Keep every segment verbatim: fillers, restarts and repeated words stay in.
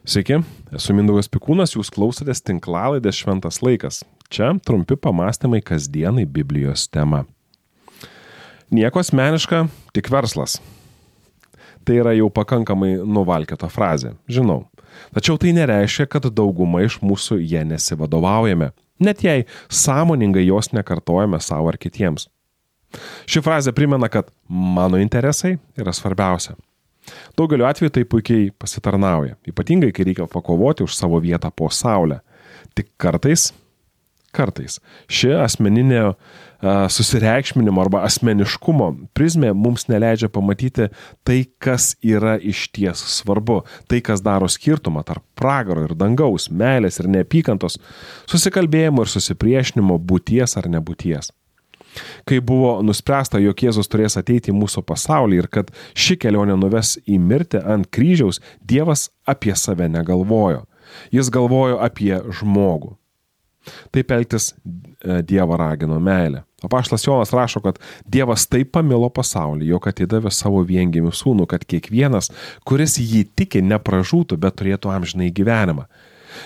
Sveiki, esu Mindaugas Pikūnas, jūs klausotės tinklalaidės Šventas laikas. Čia trumpi pamastymai kasdienai Biblijos tema. Nieko asmeniška, tik verslas. Tai yra jau pakankamai nuvalkiota frazė, žinau. Tačiau tai nereiškia, kad dauguma iš mūsų jie nesivadovaujame, net jei sąmoningai jos nekartojame savo ar kitiems. Ši frazė primena, kad mano interesai yra svarbiausia. Daugeliu atveju tai puikiai pasitarnauja, ypatingai kai reikia pakovoti už savo vietą po saulę. Tik kartais, kartais ši asmeninė uh, susireikšminimo arba asmeniškumo prizmė mums neleidžia pamatyti tai, kas yra išties svarbu, tai, kas daro skirtumą tarp pragaro ir dangaus, meilės ir neapykantos, susikalbėjimo ir susipriešinimo, būties ar nebūties. Kai buvo nuspręsta, jog Jėzus turės ateiti į mūsų pasaulį ir kad ši kelionė nuves į mirtį ant kryžiaus, Dievas apie save negalvojo. Jis galvojo apie žmogų. Taip elgtis Dievą ragino meilė. Apaštalas Jonas rašo, kad Dievas taip pamilo pasaulį, jog atidavė savo viengimį sūnų, kad kiekvienas, kuris jį tiki, nepražūtų, bet turėtų amžinąjį gyvenimą.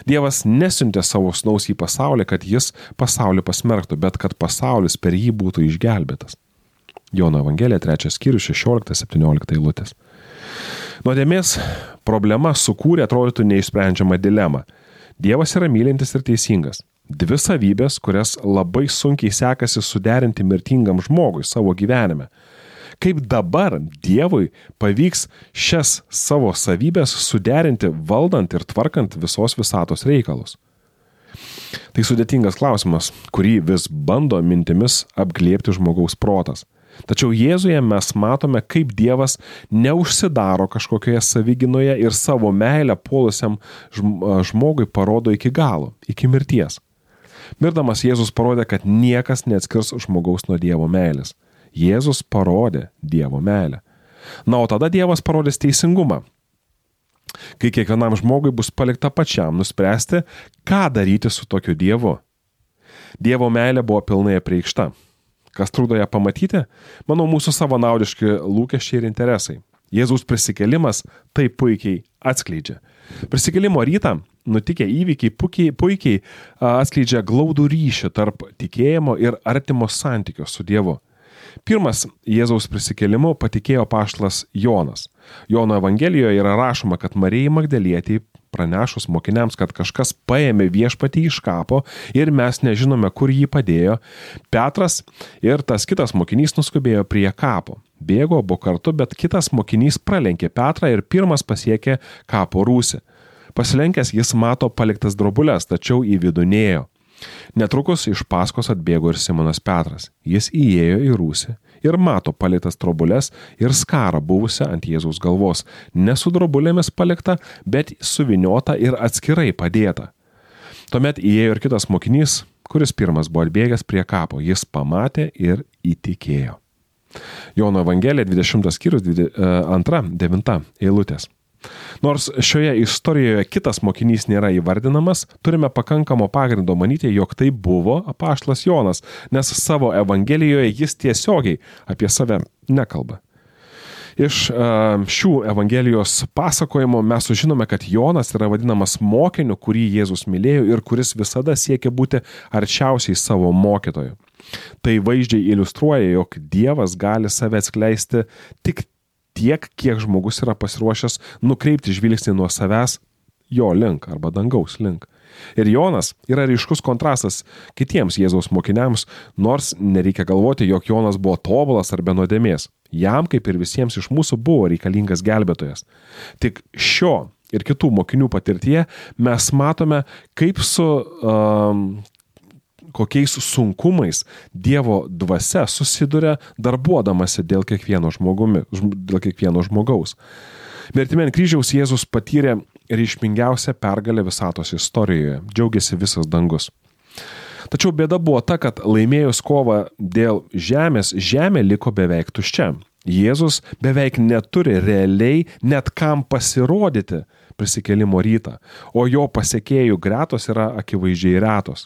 Dievas nesiuntė savo sūnaus į pasaulį, kad jis pasaulį pasmerktų, bet kad pasaulis per jį būtų išgelbėtas. Jono Evangelija, trečias skyrius, šešiolikta septyniolikta eilutės. Nuodėmės problema sukūrė atrodytų neišsprendžiamą dilemą. Dievas yra mylintis ir teisingas. Dvi savybės, kurias labai sunkiai sekasi suderinti mirtingam žmogui savo gyvenime. Kaip dabar Dievui pavyks šias savo savybės suderinti valdant ir tvarkant visos visatos reikalus? Tai sudėtingas klausimas, kurį vis bando mintimis apglėbti žmogaus protas. Tačiau Jėzuje mes matome, kaip Dievas neužsidaro kažkokioje saviginoje ir savo meilę puolusiam žmogui parodo iki galo, iki mirties. Mirdamas Jėzus parodė, kad niekas neatskirs žmogaus nuo Dievo meilės. Jėzus parodė Dievo meilę. Na, o tada Dievas parodys teisingumą, kai kiekvienam žmogui bus palikta pačiam nuspręsti, ką daryti su tokiu Dievu. Dievo meilė buvo pilnai apreikšta. Kas trukdo ją pamatyti? Manau, mūsų savanaudiški lūkesčiai ir interesai. Jėzaus prisikėlimas tai puikiai atskleidžia. Prisikėlimo rytą nutikę įvykiai puikiai, puikiai atskleidžia glaudų ryšį tarp tikėjimo ir artimo santykio su Dievu. Pirmas Jėzaus prisikėlimu patikėjo apaštalas Jonas. Jono Evangelijoje yra rašoma, kad Marijai Magdalietei pranešus mokiniams, kad kažkas paėmė viešpatį iš kapo ir mes nežinome, kur jį padėjo, Petras ir tas kitas mokinys nuskubėjo prie kapo. Bėgo abu kartu, bet kitas mokinys pralenkė Petrą ir pirmas pasiekė kapo rūsį. Pasilenkęs jis mato paliktas drobulės, tačiau į vidų nėjo. Netrukus iš paskos atbėgo ir Simonas Petras. Jis įėjo į rūsį ir mato paliktas drobulės ir skarą buvusią ant Jėzaus galvos. Ne su drobulėmis palikta, bet suviniota ir atskirai padėta. Tuomet įėjo ir kitas mokinys, kuris pirmas buvo atbėgęs prie kapo. Jis pamatė ir įtikėjo. Jono Evangelija, dvidešimtas skyrius, antra, devinta eilutės. Nors šioje istorijoje kitas mokinys nėra įvardinamas, turime pakankamo pagrindo manyti, jog tai buvo apaštalas Jonas, nes savo Evangelijoje jis tiesiogiai apie save nekalba. Iš uh, šių Evangelijos pasakojimo mes sužinome, kad Jonas yra vadinamas mokiniu, kurį Jėzus mylėjo ir kuris visada siekia būti arčiausiai savo mokytoju. Tai vaizdžiai iliustruoja, jog Dievas gali save atskleisti tik tiek, kiek žmogus yra pasiruošęs nukreipti žvilgsnį nuo savęs jo link arba dangaus link. Ir Jonas yra ryškus kontrastas kitiems Jėzaus mokiniams, nors nereikia galvoti, jog Jonas buvo tobulas ar be nuodėmės. Jam, kaip ir visiems iš mūsų, buvo reikalingas gelbėtojas. Tik šio ir kitų mokinių patirtyje mes matome, kaip su um, kokiais sunkumais Dievo dvasia susiduria darbuodamasi dėl kiekvieno žmogumi, dėl kiekvieno žmogaus. Mirtimi ant kryžiaus Jėzus patyrė reikšmingiausią pergalę visatos istorijoje. Džiaugiasi visas dangus. Tačiau bėda buvo ta, kad laimėjus kovą dėl žemės, žemė liko beveik tuščia. Jėzus beveik neturi realiai net kam pasirodyti prisikėlimo rytą, o jo pasekėjų gretos yra akivaizdžiai retos.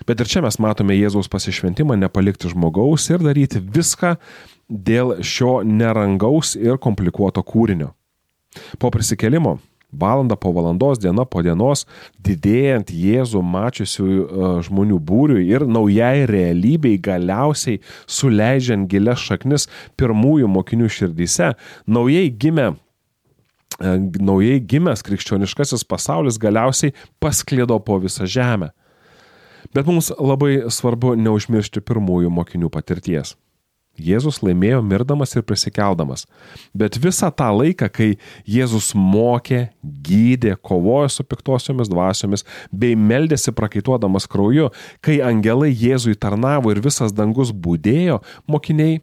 Bet ir čia mes matome Jėzaus pasišventimą nepalikti žmogaus ir daryti viską dėl šio nerangaus ir komplikuoto kūrinio. Po prisikėlimo Valanda po valandos, diena po dienos, didėjant Jėzų mačiusių žmonių būriui ir naujai realybei galiausiai suleidžiant gilias šaknis pirmųjų mokinių širdyse, naujai gimė naujai gimęs krikščioniškasis pasaulis galiausiai pasklido po visą žemę. Bet mums labai svarbu neužmiršti pirmųjų mokinių patirties. Jėzus laimėjo mirdamas ir prisikeldamas. Bet visą tą laiką, kai Jėzus mokė, gydė, kovojo su piktosiomis dvasiomis, bei meldėsi prakaituodamas krauju, kai angelai Jėzui tarnavo ir visas dangus būdėjo, mokiniai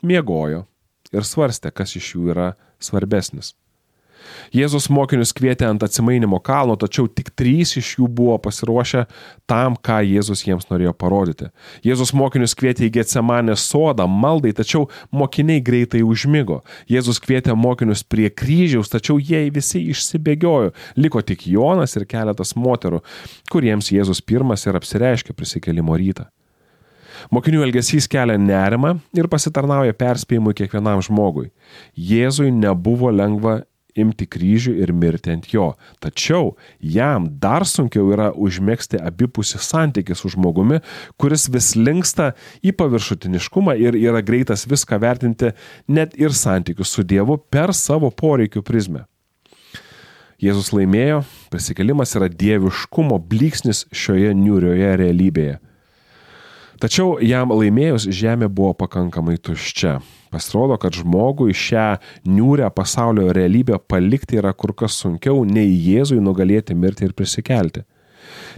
miegojo ir svarstė, kas iš jų yra svarbesnis. Jėzus mokinius kvietė ant atsimainimo kalno, tačiau tik trys iš jų buvo pasiruošę tam, ką Jėzus jiems norėjo parodyti. Jėzus mokinius kvietė į Getsemanės sodą maldai, tačiau mokiniai greitai užmigo. Jėzus kvietė mokinius prie kryžiaus, tačiau jie visi išsibėgiojo. Liko tik Jonas ir keletas moterų, kuriems Jėzus pirmas ir apsireiškė prisikėlimo rytą. Mokinių elgesys kelia nerimą ir pasitarnauja perspėjimui kiekvienam žmogui. Jėzui nebuvo lengva imti kryžių ir mirti ant jo. Tačiau jam dar sunkiau yra užmegzti abipusį santykį su žmogumi, kuris vis linksta į paviršutiniškumą ir yra greitas viską vertinti net ir santykius su Dievu per savo poreikių prizmę. Jėzus laimėjo, prisikėlimas yra dieviškumo blyksnis šioje niūrioje realybėje. Tačiau jam laimėjus žemė buvo pakankamai tuščia. Pasirodo, kad žmogui šią niūrią pasaulio realybę palikti yra kur kas sunkiau nei Jėzui nugalėti mirti ir prisikelti.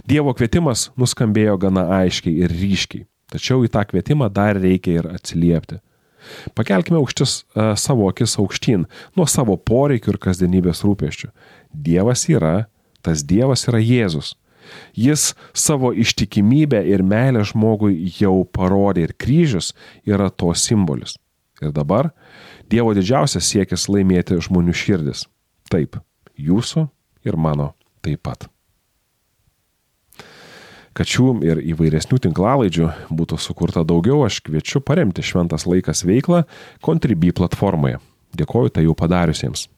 Dievo kvietimas nuskambėjo gana aiškiai ir ryškiai, tačiau į tą kvietimą dar reikia ir atsiliepti. Pakelkime aukštis uh, savo akis aukštyn nuo savo poreikių ir kasdienybės rūpesčių. Dievas yra, tas Dievas yra Jėzus. Jis savo ištikimybę ir meilę žmogui jau parodė ir kryžius yra to simbolis. Ir dabar Dievo didžiausias siekis laimėti žmonių širdis. Taip, jūsų ir mano taip pat. Kad šių ir įvairesnių tinklalaidžių būtų sukurta daugiau, aš kviečiu paremti Šventas laikas veiklą Contribui platformoje. Dėkoju tai jau padariusiems.